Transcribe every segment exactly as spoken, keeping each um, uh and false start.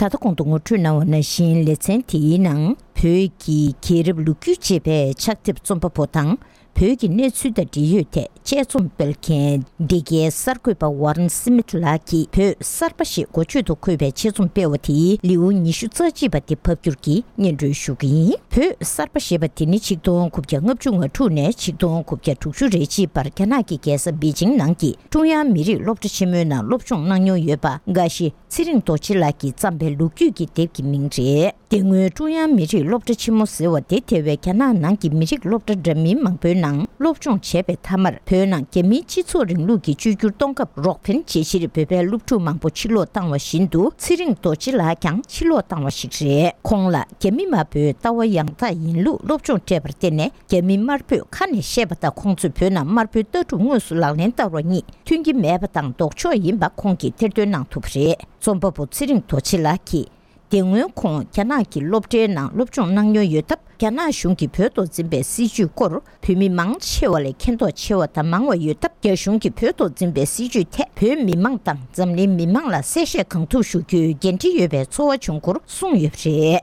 ད་ལྟ་གོང་དུ་ངོ་སྤྲོད་གནང་བ་ནང་བཞིན། ལེ་ཚན་དེའི་ནང་བོད་ཀྱི་རྒྱལ་རབས་ལོ་རྒྱུས་ཅེས་པའི་ཕྱག་དེབ་རྩོམ་པ་པོ་དང་། བོད་ཀྱི་གནས་ཚུལ་དང་འབྲེལ་ཡོད་ཐད་དཔྱད་རྩོམ་སྤེལ་མཁན་འདི་གའི་གསར་འགོད་པ་ཝཱ་རན་སི་མིད་ལགས་ཀྱིས་བོད་གསར་པ་ཞེས་འགོ་བརྗོད་དུ་འཁོད་པའི་དཔྱད་རྩོམ་སྤེལ་བ་དེའི་ལེའུ་ཉི་ཤུ་རྩ་གཅིག་པ་དེ་ཕབ་བསྒྱུར་གྱིས་སྙན་སྒྲོན་ཞུ་གི་ཡིན། བོད་གསར་པ་ཞེས་པ་དེ་ནི་ཆིག་སྟོང་དགུ་བརྒྱ་ལྔ་བཅུ་ང་དྲུག་ནས་ཆིག་སྟོང་དགུ་བརྒྱ་དྲུག་ཅུ་རེ་གཅིག་བར་རྒྱ་ནག་གི་རྒྱལ་ས་པེ་ཅིང་ནང་གི་ཀྲུང་དབྱང་མི་རིགས་སློབ་གྲྭ་ཆེན་མོའི་ནང་སློབ་སྦྱོང་གནང་མྱོང་ཡོད་པ། འགའ་ཞིག་ཚེ་རིང་རྡོ་རྗེ་ལགས་ཀྱིས་བརྩམས་པའི་ལོ་རྒྱུས་ཀྱི་དེབ་ཀྱི་མིང་རེད། དེ་སྔོན་ཀྲུང་དབྱང་མི་རིགས་སློབ་གྲྭ་ཆེན་མོ་ཟེར་བ་དེ་དེ་བས་རྒྱ་ནག་ནང་གི་མི་རིགས་སློབ་གྲྭ་འདྲ་མིན་མང་པོའི་ནང་སློབ་སྦྱོང་བྱས་པའི་མཐའ་མར། བོད་ནང་རྒྱ་མིའི་སྤྱི་ཚོགས་རིང་ལུགས་ཀྱི་བཅོས་བསྒྱུར་གཏོང་སྐབས་རོགས་ཕན་བྱེད་ཕྱིར་བོད་པའི་སློབ་ཕྲུག་མང་པོ་ཕྱིར་ལོག་བཏང་བ་བཞིན་དུ། ཚེ་རིང་རྡོ་རྗེ་ལགས་ཀྱང་ཕྱིར་ལོག་བཏང་བ་ཞིག་རེད། ཁོང་ལ་རྒྱ་མི་དམར་པོའི་ལྟ་བ་ཡང་དག་ཡིན་ལུགས་སློབ་སྦྱོང་སྤྲད་པར་བརྟེན་ནས། རྒྱ་མི་དམར་པོས་ཁ་ནས་བཤད་པ་དང་ཁོང་ཚོས་བོད་ནང་དམར་པོའི་ལྟ་གྲུབ་དངོས་སུ་ལག་ལེན་བསྟར་བ་གཉིས་མཐུན་གྱི་མེད་པ་དང་ལྡོག་ཕྱོགས་ཡིན་པ་ཁོང་གིས་ཐེར་འདོན་གནང་ཐུབ་པ་རེད། རྩོམ་པ་པོ་ཚེ་རིང་རྡོ་རྗེ་ལགས་ཀྱིས། དེ་སྔོན་ཁོང་རྒྱ་ནག་གི་སློབ་གྲྭའི་ནང་སློབ་སྦྱོང་གནང་མྱོང་ཡོད་སྟབས། རྒྱ་ནག་གཞུང་གིས་བོད་ཐོག་འཛིན་པའི་སྲིད་བྱུས་སྐོར་བོད་མི་མང་ཆེ་བ་ལས་མཁྱེན་རྟོགས་ཆེ་བ་དང་མང་བ་ཡོད་སྟབས། རྒྱ་གཞུང་གིས་བོད་ཐོག་འཛིན་པའི་སྲིད་བྱུས་ཐད་བོད་མི་མང་དང་འཛམ་གླིང་མི་མང་ལ་གསལ་བཤད་གང་ཐུབ་ཞུ་རྒྱུའི་འགན་འཁྲི་ཡོད་པའི་ཚོར་བ་བྱུང་སྐོར་གསུངས་ཡོད་པ་རེད།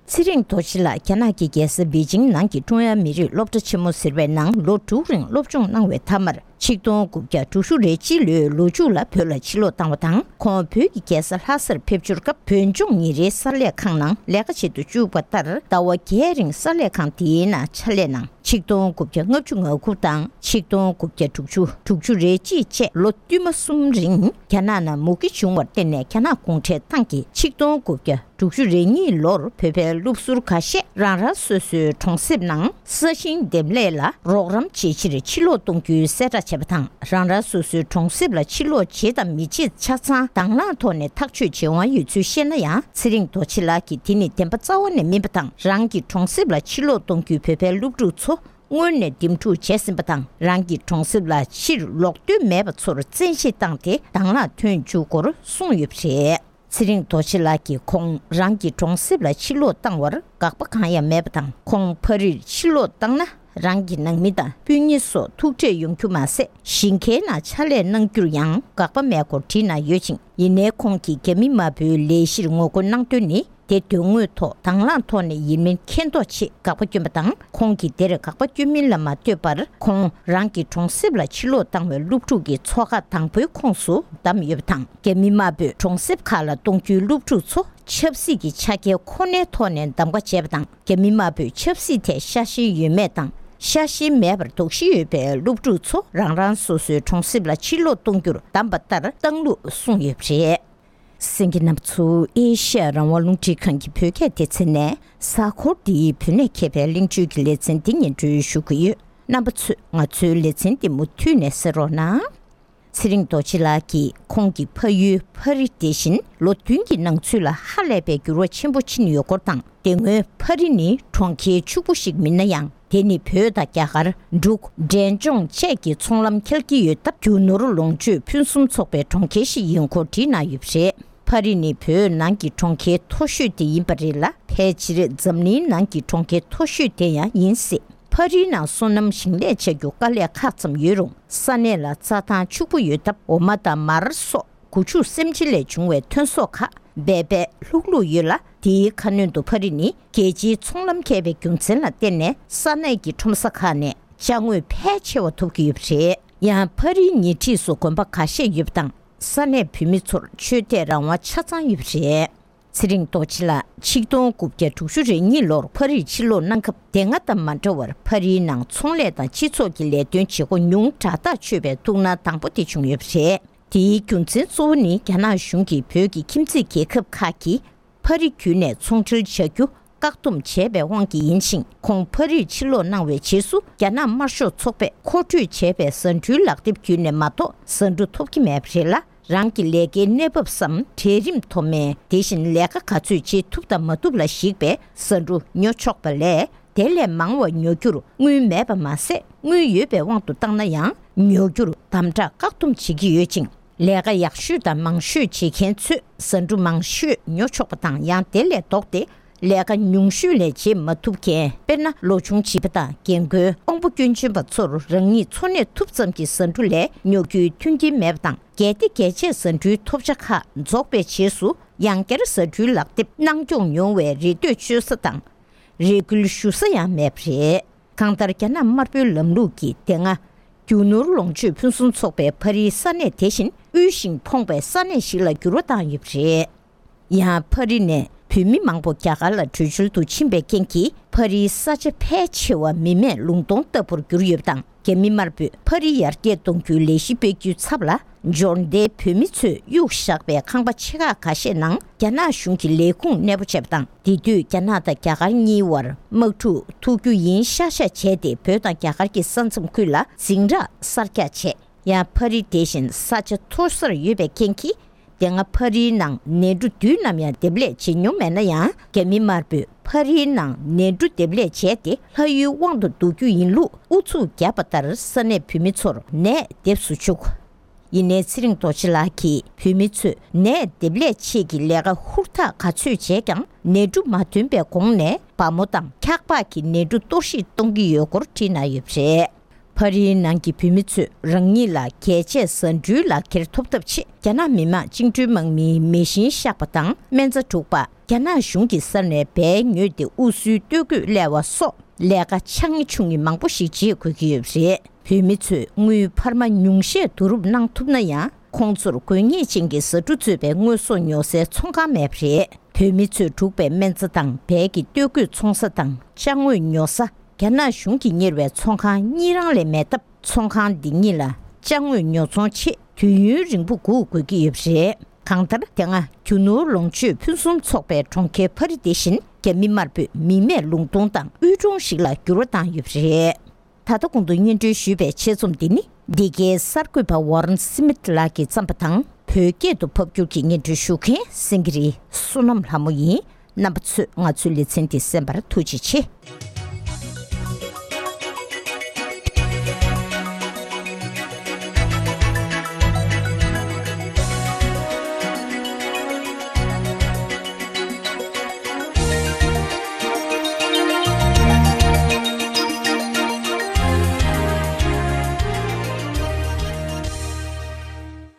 ཚེ་རིང་རྡོ་རྗེ་ལགས་རྒྱ་ནག་གི་རྒྱལ་ས་པེ་ཅིང་ནང་གི་ཀྲུང་དབྱང་མི་རིགས་སློབ་གྲྭ་ཆེན་མོ་ཟེར་བའི་ནང་ལོ་དྲུག་རིང་སློབ་སྦྱོང་གནང་བའི་མཐའ་མར། ཆིག་སྟོང་དགུ་བརྒྱ་དྲུག་ཅུ་རེ་གཅིག་ལོའི་ལོ་མཇུག་ལ་བོད་ལ་ཕྱིར་ལོག་བཏང་བ་དང་། ཁོང་བོད་ཀྱི་རྒྱལ་ས་ལྷ་སར་ཕེབས་འབྱོར་སྐབས་བོད་ལྗོངས་ཉིན་རེའི་གསར་ལས་ཁང་ནང་ལས་ཀ་བྱེད་དུ་བཅུག་པ་ལྟར། ཟླ་བ་བརྒྱད་རིང་གསར་ལས་ཁང་དེའི་ནང་ཕྱག་ལས་གནང་། ཆིག་སྟོང་དགུ་བརྒྱ་ལྔ་བཅུ་ང་དགུ་དང་ཆིག་སྟོང་དགུ་བརྒྱ་དྲུག་ཅུ་དྲུག་ཅུ་རེ་གཅིག་བཅས་ལོ་བསྟུད་མ་གསུམ་རིང་རྒྱ་ནག་ནང་མུ་གེ་བྱུང་བར་བརྟེན་ནས། རྒྱ་ནག་གུང་ཁྲན་ཏང་གིས་ཆིག་སྟོང་དགུ་བརྒྱ་དྲུག་ཅུ་རེ་གཉིས་ལོར་བོད་པའི་སློབ་ཟུར་ཁ་ཤས་རང་རང་སོ་སོའི་གྲོང་གསེབ་ནང་ས་ཞིང་འདེབས་ལས་ལ་རོགས་རམ་བྱེད་ཕྱིར་ཕྱིར་ལོག་གཏོང་རྒྱུའི་གསལ་བསྒྲགས་བྱས་པ་དང་། རང་རང་སོ་སོའི་གྲོང་གསེབ་ལ་ཕྱིར་ལོག་བྱེད་དང་མི་བྱེད་ཆ་ཚང་དྭང་བླངས་ཐོག་ནས་ཐག་གཅོད་བྱེད་དབང་ཡོད་ཚུལ་བཤད་ན་ཡང་། ཚེ་རིང་རྡོ་རྗེ་ལགས་ཀྱིས་དེ་ནི་བདེན་པ་རྩ་བ་ནས་མིན་པ་དང་། རང་གི་གྲོང་གསེབ་ལ་ཕྱིར་ལོག་གཏོང་རྒྱུའི་བོད་པའི་སློབ་ཕྲུག་ཚོ་སྔོན་ནས་འདེམས་སྒྲུག་བྱས་ཟིན་པ་དང་། རང་གི་གྲོང་གསེབ་ལ་ཕྱིར་ལོག་འདོད་མེད་པ་ཚོར་བཙན་ཤེད་བཏང་སྟེ་དྭང་བླངས་ཐོན་བཅུག་སྐོར་གསུངས་ཡོད་པ་རེད། ཚེ་རིང་རྡོ་རྗེ་ལགས་ཀྱིས་ཁོང་རང་གི་གྲོང་གསེབ་ལ་ཕྱིར་ལོག་བཏང་བར་དགག་པ་གང་ཡང་མེད་པ་དང་། ཁོང་ཕ་རིར་ཕྱིར་ལོག་བཏང་ན། རང་གི་ནང་མི་དང་སྤུན་ཉེ་སོགས་ཐུག་འཕྲད་ཡོང་རྒྱུ་མ་ཟད། ཞིང་ཁའི་ནང་ཕྱག་ལས་གནང་རྒྱུར་ཡང་དགག་པ་མེད་སྐོར་བྲིས་གནང་ཡོད་ཅིང་། ཡིན་ནའི་ཁོང་གིས་རྒྱ་མི་དམར་པོའི་ལས་གཞིར་ངོ་རྒོལ་གནང་དོན་ནི། དེ་དོན་དངོས་ཐོག་དྭང་བླངས་ཐོག་ནས་ཡིན་མིན་མཁྱེན་རྟོགས་ཆེད་དགག་པ་བསྐྱོན་པ་དང་། ཁོང་གིས་དེར་དགག་པ་བསྐྱོན་མིན་ལ་མ་ལྟོས་པར། ཁོང་རང་གི་གྲོང་གསེབ་ལ་ཕྱིར་ལོག་བཏང་བའི་སློབ་ཕྲུག་གི་ཚོགས་ཁག་དང་པོའི་ཁོངས་སུ་བདམས་ཡོད་པ་དང་། རྒྱ་མི་དམར་པོས་གྲོང་གསེབ་ཁག་ལ་གཏོང་རྒྱུའི་སློབ་ཕྲུག་ཚོ་ཆབ་སྲིད་ཀྱི་ཆ་རྐྱེན་ཁོ་ནའི་ཐོག་ནས་གདམ་ག་བྱས་པ་དང་། རྒྱ་མི་དམར་པོས་ཆབ་སྲིད་ཐད་ཤ་ཞེན་ཡོད་མེད་དང་། ཤ་ཞེན་མེད་པར་དོགས་གཞི་ཡོད་པའི་སློབ་ཕྲུག་ཚོ་རང་རང་སོ་སོའི་གྲོང་གསེབ་ལ་ཕྱིར་ལོག་གཏོང་རྒྱུར་བདམས་པ་ལྟར་བཏང་ལུགས་གསུངས་ཡོད་པ་རེད། གསན་མཁན་རྣམ་པ་ཚོ། ཨེ་ཤ་ཡ་རང་དབང་རླུང་འཕྲིན་ཁང་གི་བོད་སྐད་སྡེ་ཚན་ནས་གཟའ་འཁོར་འདིའི་བོད་གནས་མཁས་པའི་གླེང་བརྗོད་ཀྱི་ལེ་ཚན་འདི་སྙན་སྒྲོན་ཞུ་གི་ཡོད། རྣམ་པ་ཚོས་ང་ཚོའི་ལེ་ཚན་འདི་མུ་མཐུད་ནས་གསན་རོགས་གནང་། ཚེ་རིང་རྡོ་རྗེ་ལགས་ཀྱིས་ཁོང་གི་ཕ་ཡུལ་ཕ་རི་དེ་བཞིན་ལོ་བདུན་གྱི་ནང་ཚུད་ལ་ཧ་ལས་པའི་འགྱུར་བ་ཆེན་པོ་ཕྱིན་ཡོད་སྐོར་དང་། དེ་སྔོན་ཕ་རི་ནི་གྲོང་ཁྱེར་ཕྱུག་པོ་ཞིག་མིན་ན་ཡང་། དེ་ནི་བོད་དང་རྒྱ་གར། འབྲུག་འབྲས་ལྗོངས་བཅས་ཀྱི་ཚོང་ལམ་འཁེལ་གྱི་ཡོད་སྟབས། རྒྱུ་ནོར་ལོངས་སྤྱོད་ཕུན་སུམ་ཚོགས་པའི་གྲོང་ཁྱེར་ཞིག་ཡིན་སྐོར་བྲིས་གནང་ཡོད་པ་རེད། ཕ་རི་ནི་བོད་ནང་གི་གྲོང་ཁྱེར་མཐོ་ཤོས་དེ་ཡིན་པ་རེད་ལ། ཕལ་ཆེར་འཛམ་གླིང་ནང་གི་གྲོང་ཁྱེར་མཐོ་ཤོས་དེ་ཡང་ཡིན་སྲིད། ཕ་རིའི་ནང་སོ་ནམ་ཞིང་ལས་བྱ་རྒྱུ་དཀའ་ལས་ཁག་ཙམ་ཡོད་རུང་། ས་གནས་ལ་རྩྭ་ཐང་ཕྱུག་པོ་ཡོད་སྟབས། འོ་མ་དང་མར་སོགས་སྒོ་ཕྱུགས་སེམས་ཅན་ལས་བྱུང་བའི་ཐོན་ཟོག་ཁག་འབད་འབད་ལྷུག་ལྷུག་ཡོད་ལ། དེའི་ཁ་སྣོན་དུ་ཕ་རི་ནི་རྒྱལ་སྤྱིའི་ཚོང་ལམ་མཁས་པའི་རྒྱུ་མཚན་ལ་བརྟེན་ནས། ས་གནས་ཀྱི་ཁྲོམ་ས་ཁག་ནས་ཅ་དངོས་ཕལ་ཆེ་བ་ཐོབ་ཀྱི་ཡོད་པ་རེད། ཡང་ཕ་རིའི་ཉེ་འཁྲིས་སུ་དགོན་པ་ཁ་ཤས་ཡོད་པ་དང་། ས་གནས་བོད་མི་ཚོར་ཆོས་དད་རང་དབང་ཆ་ཚང་ཡོད་པ་རེད། ཚེ་རིང་རྡོ་རྗེ་ལགས་ཆིག་སྟོང་དགུ་བརྒྱ་དྲུག་ཅུ་རེ་གཉིས་ལོར་ཕ་རིར་ཕྱིར་ལོག་གནང་སྐབས། དེ་སྔ་དང་མ་འདྲ་བར་ཕ་རིའི་ནང་ཚོང་ལས་དང་སྤྱི་ཚོགས་ཀྱི་ལས་དོན་བྱེད་སྒོ་ཉུང་དྲགས་ཐག་ཆོད་པའི་ཐུགས་སྣང་དང་པོ་དེ་བྱུང་ཡོད་པ་རེད། དེའི་རྒྱུ་མཚན་གཙོ་བོ་ནི། རྒྱ་ནག་གཞུང་གིས་བོད་ཀྱི་ཁྱིམ་མཚེས་རྒྱལ་ཁབ་ཁག་གིས་ཕ་རི་བརྒྱུད་ནས་ཚོང་འབྲེལ་བྱ་རྒྱུ་བཀག་སྡོམ་བྱས་པའི་དབང་གིས་ཡིན་ཞིང་། ཁོང་ཕ་རིར་ཕྱིར་ལོག་གནང་བའི་རྗེས་སུ། རྒྱ་ནག་དམར་ཤོག་ཚོགས་པས་མཁོ་སྤྲོད་བྱས་པའི་ཟ་འབྲུའི་ལག་དེབ་བརྒྱུད་ནས་མ་གཏོགས་ཟ་འབྲུ་ཐོབ་ཀྱི་མེད་པ་རེད་ལ། རང་གི་ལས་ཀའི་གནས་བབ་སམ་གྲལ་རིམ་མཐོ་དམན། དེ་བཞིན་ལས་ཀ་ག་ཚོད་བྱེད་ཐུབ་དང་མ་ཐུབ་ལ་གཞིགས་པའི་ཟ་འབྲུ་ཉོ་ཆོག་པ་ལས། དེ་ལས་མང་བ་ཉོ་རྒྱུར་དངུལ་མེད་པ་མ་ཟད། དངུལ་ཡོད་པའི་དབང་དུ་བཏང་ན་ཡང་ཉོ་རྒྱུར་དམ་དྲག་བཀག་སྡོམ་བྱེད་ཀྱི་ཡོད་ཅིང་། ལས་ཀ་ཡག་ཤོས་དང་མང་ཤོས་བྱེད་མཁན་ཚོས་ཟ་འབྲུ་མང་ཤོས་ཉོ་ཆོག་པ་དང་། ཡང་དེ་ལས་ལྡོག་སྟེ། ལས་ཀ་ཉུང་ཤོས་ལས་བྱེད་མ་ཐུབ་མཁན། དཔེར་ན། ལོ་ཆུང་བྱིས་པ་དང་། རྒན་རྒོན། དབང་པོ་སྐྱོན་ཅན་པ་ཚོར་རང་ཉིད་འཚོ་གནས་ཐུབ་ཙམ་གྱི་ཟ་འབྲུ་ལས་ཉོ་རྒྱུའི་མཐུན་རྐྱེན་མེད་པ་དང་། གལ་ཏེ་རྒྱལ་གཅེས་ཟ་འབྲུའི་ཐོབ་ཆ་ཁག་རྫོགས་པའི་རྗེས་སུ། ཡང་བསྐྱར་ཟ་འབྲུའི་ལག་དེབ་གནང་སྐྱོང་མྱོང་བའི་རེ་ལྟོས་བཅོལ་ས་དང་། རེ་སྐུལ་ཞུ་ས་ཡང་མེད་པ་རེད། གང་ལྟར། རྒྱ་ནག་དམར་པོའི་ལམ་ལུགས་ཀྱིས་དེ་སྔ་རྒྱུ་ནོར་ལོངས་སྤྱོད་ཕུན་སུམ་ཚོགས་པའི་ཕ་རིའི་ས་གནས་དེ་བཞིན་དབུལ་ཞིང་ཕོངས་པའི་ས་གནས་ཤིག་ལ་འགྱུར་བ་བཏང་ཡོད་པ་རེད། ཡང་ཕ་རི་ནས་བོད་མི་མང་པོ་རྒྱ་གར་ལ་བྲོས་བྱོལ་དུ་ཕྱིན་པའི་རྐྱེན་གྱིས། ཕ་རིའི་ས་ཆ་ཕལ་ཆེ་བ་མི་མེད་ལུང་སྟོང་ལྟ་བུར་གྱུར་ཡོད་པ་དང་། རྒྱ་མི་དམར་པོས་ཕ་རི་ཡར་རྒྱས་གཏོང་རྒྱུའི་ལས་གཞི་སྤེལ་རྒྱུའི་ཚབ་ལ། འབྱོར་ལྡན་བོད་མི་ཚོས་གཡུགས་བཞག་པའི་ཁང་པ་ཆེ་ཁག་ཁ་ཤས་ནང་རྒྱ་ནག་གཞུང་གི་ལས་ཁུངས་གནས་སྤོ་བྱས་པ་དང་། དེ་དུས་རྒྱ་ནག་དང་རྒྱ་གར་གཉིས་བར་དམག་འཁྲུག་ཐུག་རྒྱུ་ཡིན་ཤག་ཤག་བྱས་ཏེ། བོད་དང་རྒྱ་གར་གྱི་ས་མཚམས་ཁུལ་ལ་འཛིང་རགས་གསར་རྒྱག་བྱས། ཡང་ཕ་རི་དེ་བཞིན་ས་ཆ་མཐོ་སར་ཡོད་པའི་རྐྱེན་གྱིས། དེ་སྔ་ཕ་རིའི་ནང་ནས་འབྲུ་དུས་ནམ་ཡང་འདེབས་ལས་བྱེད་མྱོང་མེད་ན་ཡང་། རྒྱ་མི་དམར་པོས་ཕ་རིའི་ནང་ནས་འབྲུ་འདེབས་ལས་བྱས་ཏེ། ལྷ་ཡུལ་དབང་དུ་བསྡུ་རྒྱུ་ཡིན་ལུགས་ཨུ་ཚུགས་བརྒྱབ་པ་ལྟར། ས་གནས་བོད་མི་ཚོར་ནས་འདེབས་སུ་བཅུག་ཡིན་ནའི། ཚེ་རིང་རྡོ་རྗེ་ལགས་ཀྱིས། བོད་མི་ཚོས་ནས་འདེབས་ལས་ཆེད་ཀྱི་ལས་ཀ་ཧུར་ཐག་ག་ཚོད་བྱས་ཀྱང་། ནས་འབྲུ་མ་ཐོན་པའི་གོང་ནས་སྦ་མོ་དང་འཁྱགས་པགས་ཀྱི་ནས་འབྲུ་གཏོར་བཤིག་གཏོང་གི་ཡོད་སྐོར་བྲིས་གནང་ཡོད་པ་རེད། ཕ་རིའི་ནང་གི་བོད་མི་ཚོས་རང་ཉིད་ལ་རྒྱལ་གཅེས་ཟ་འབྲུའི་ལག་འཁྱེར་ཐོབ་ཐབས་ཆེད། རྒྱ་ནག་མི་དམངས་བཅིངས་འགྲོལ་དམག་མིའི་མེ་ཤིང་གཤགས་པ་དང་། སྨན་རྩྭ་སྒྲུག་པ། རྒྱ་ནག་གཞུང་གི་སར་ནས་སྦས་ཉོས་ཏེ་དབུ་གསོའི་སྟོད་གོས་བསླས་པ་སོགས། ལས་ཀ་ཆག་ཉེ་ཆུང་ཉེ་མང་པོ་ཞིག་བྱེད་དགོས་ཀྱི་ཡོད་པ་རེད། བོད་མི་ཚོས་དངུལ་འཕར་མ་ཉུང་ཤས་བསྡུ་རུབ་གནང་ཐུབ་ན་ཡང་། ཁོང་ཚོར་དགོས་ངེས་ཅན་གྱི་ཟ་འབྲུ་གཙོས་པའི་དངོས་ཟོག་ཉོ་སའི་ཚོང་ཁང་མེད་པ་རེད། བོད་མི་ཚོས་སྒྲུག་པའི་སྨན་རྩྭ་དང་། སྦས་ཀྱི་སྟོད་གོས་འཚོང་ས་དང་ཅ་དངོས་ཉོ་ས། རྒྱ་ནག་གཞུང་གིས་གཉེར་བའི་ཚོང་ཁང་གཉིས་རང་ལས་མེད་སྟབས། ཚོང་ཁང་འདི་གཉིས་ལ་ཅ་དངོས་ཉོ་ཚོང་ཆེད་དུས་ཡུན་རིང་པོ་སྒུག་དགོས་ཀྱི་ཡོད་པ་རེད། གང་ལྟར། དེ་སྔ་རྒྱུ་ནོར་ལོངས་སྤྱོད་ཕུན་སུམ་ཚོགས་པའི་གྲོང་ཁྱེར་ཕ་རི་དེ་བཞིན་རྒྱ་མི་དམར་པོས་མི་མེད་ལུང་སྟོང་དང་དབུལ་གྲོང་ཞིག་ལ་འགྱུར་བ་བཏང་ཡོད་པ་རེད། ད་ལྟ་གོང་དུ་སྙན་སྒྲོན་ཞུས་པའི་ཆེད་རྩོམ་འདི་ནི། འདི་གའི་གསར་འགོད་པ་ཝོ་རན་སི་མིད་ལགས་ཀྱིས་བརྩམས་པ་དང་། བོད་སྐད་དུ་ཕབ་སྒྱུར་གྱིས་སྙན་སྒྲོན་ཞུ་མཁན་སེང་གེ་རི་བསོད་ནམས་ལྷ་མོ་ཡིན། རྣམ་པ་ཚོས་ང་ཚོའི་ལེ་ཚན་འདི་གསན་པར་ཐུགས་རྗེ་ཆེ།